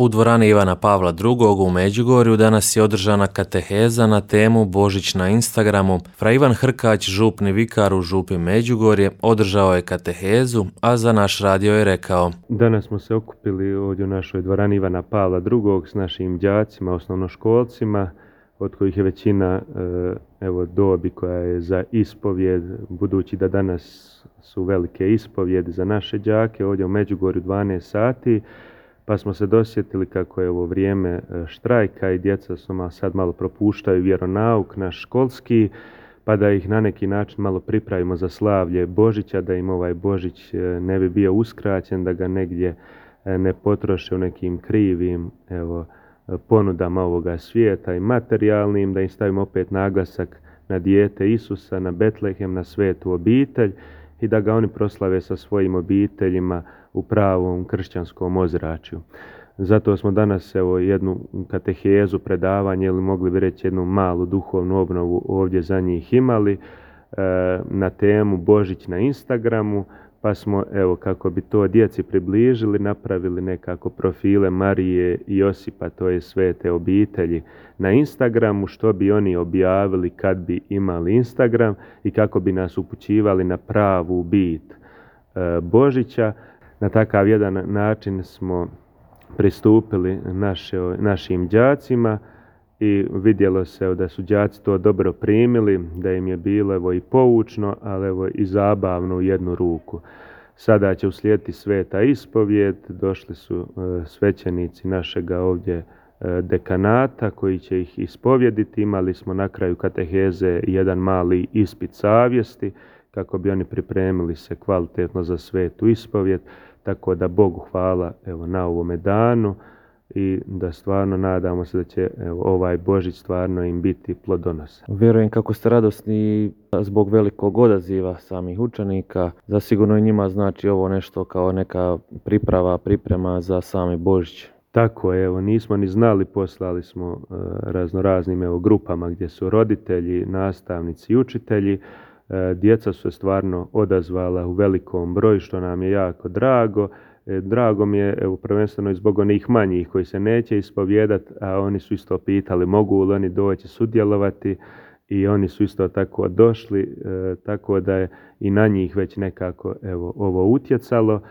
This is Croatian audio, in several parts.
U dvorani Ivana Pavla II. U Međugorju danas je održana kateheza na temu Božić na Instagramu. Fra Ivan Hrkać, župni vikar u župi Međugorje, održao je katehezu, a za naš radio je rekao: Danas smo se okupili ovdje u našoj dvorani Ivana Pavla II. S našim đacima, osnovnoškolcima, od kojih je većina dobi koja je za ispovjed, budući da danas su velike ispovjedi za naše đake ovdje u Međugorju 12 sati, pa smo se dosjetili kako je ovo vrijeme štrajka i djeca sad malo propuštaju vjeronauk naš školski, pa da ih na neki način malo pripravimo za slavlje Božića, da im ovaj Božić ne bi bio uskraćen, da ga negdje ne potroše u nekim krivim ponudama ovoga svijeta i materijalnim, da im stavimo opet naglasak na dijete Isusa, na Betlehem, na svetu obitelj i da ga oni proslave sa svojim obiteljima u pravom kršćanskom ozračju. Zato smo danas jednu katehezu, predavanje ili mogli bi reći jednu malu duhovnu obnovu ovdje za njih imali na temu Božić na Instagramu, pa smo kako bi to djeci približili napravili nekako profile Marije i Josipa, to je svete obitelji na Instagramu, što bi oni objavili kad bi imali Instagram i kako bi nas upućivali na pravu bit Božića. Na takav jedan način smo pristupili našim đacima i vidjelo se da su đaci to dobro primili, da im je bilo i poučno, ali i zabavno u jednu ruku. Sada će uslijediti sveta ispovjed, došli su svećenici našega ovdje dekanata koji će ih ispovjediti. Imali smo na kraju kateheze jedan mali ispit savjesti kako bi oni pripremili se kvalitetno za svetu ispovjed. Tako da Bogu hvala na ovome danu i da stvarno nadamo se da će ovaj Božić stvarno im biti plodonosan. Vjerujem kako ste radosni zbog velikog odaziva samih učenika. Zasigurno i njima znači ovo nešto kao neka priprema za sami Božić. Tako je, nismo ni znali, poslali smo raznoraznim grupama gdje su roditelji, nastavnici i učitelji. Djeca su se stvarno odazvala u velikom broju, što nam je jako drago. Drago mi je prvenstveno i zbog onih manjih koji se neće ispovjedati, a oni su isto pitali mogu li oni doći sudjelovati i oni su isto tako došli, tako da je i na njih već nekako ovo utjecalo.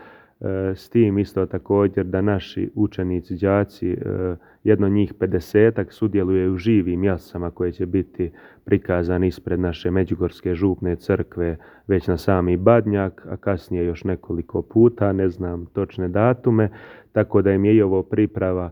S tim isto također da naši učenici, đaci, jedno njih 50-ak sudjeluje u živim jasama koje će biti prikazani ispred naše Međugorske župne crkve već na sami Badnjak, a kasnije još nekoliko puta, ne znam točne datume, tako da im je i ovo priprava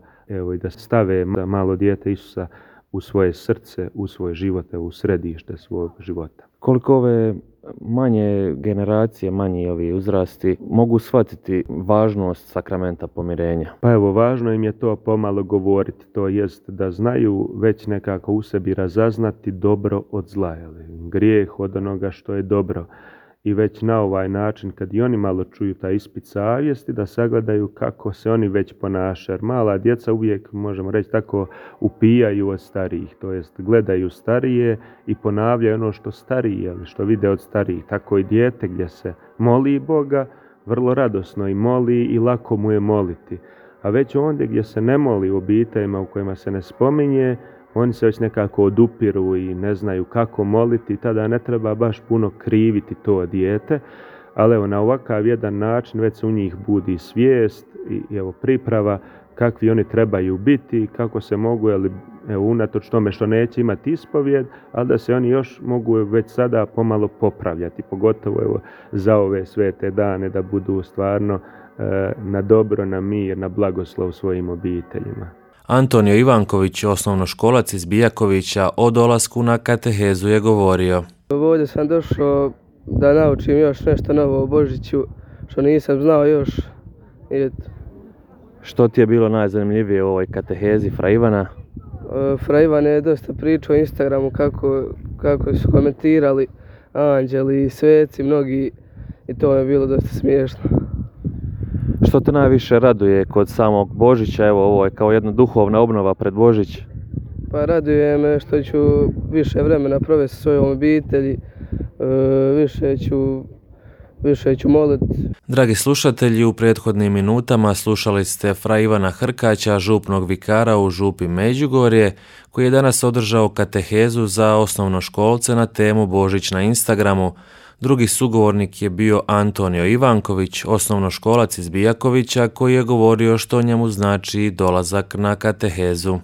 i da stave malo dijete Isusa u svoje srce, u svoj život, u središte svog života. Koliko ove manje generacije, manji ovi uzrasti mogu shvatiti važnost sakramenta pomirenja? Pa važno im je to pomalo govoriti, to jest da znaju već nekako u sebi razaznati dobro od zla, grijeh od onoga što je dobro. I već na ovaj način, kad i oni malo čuju taj ispit savjesti, da sagledaju kako se oni već ponašaju. Jer mala djeca uvijek, možemo reći tako, upijaju od starijih, to jest gledaju starije i ponavljaju ono što starije, što vide od starijih. Tako i dijete gdje se moli Boga, vrlo radosno i moli i lako mu je moliti. A već ondje gdje se ne moli u obiteljima u kojima se ne spominje, oni se već nekako odupiru i ne znaju kako moliti, tada ne treba baš puno kriviti to dijete, ali na ovakav jedan način već se u njih budi svijest i priprava kakvi oni trebaju biti, kako se mogu, unatoč tome što neće imati ispovjed, ali da se oni još mogu već sada pomalo popravljati, pogotovo za ove svete dane, da budu stvarno na dobro, na mir, na blagoslov svojim obiteljima. Antonio Ivanković, osnovnoškolac iz Bijakovića, o dolasku na katehezu je govorio: Ovdje sam došao da naučim još nešto novo o Božiću, što nisam znao još. Što ti je bilo najzanimljivije u ovoj katehezi Fra Ivana? Fra Ivan je dosta pričao o Instagramu kako su komentirali anđeli i sveci mnogi i to je bilo dosta smiješno. Što te najviše raduje kod samog Božića? Ovo je kao jedna duhovna obnova pred Božić. Pa raduje me što ću više vremena provesti sa svojom obitelji, više ću više ću moliti. Dragi slušatelji, u prethodnim minutama slušali ste fra Ivana Hrkaća, župnog vikara u župi Međugorje, koji je danas održao katehezu za osnovnoškolce na temu Božić na Instagramu. Drugi sugovornik je bio Antonio Ivanković, osnovnoškolac iz Bijakovića, koji je govorio što njemu znači dolazak na katehezu.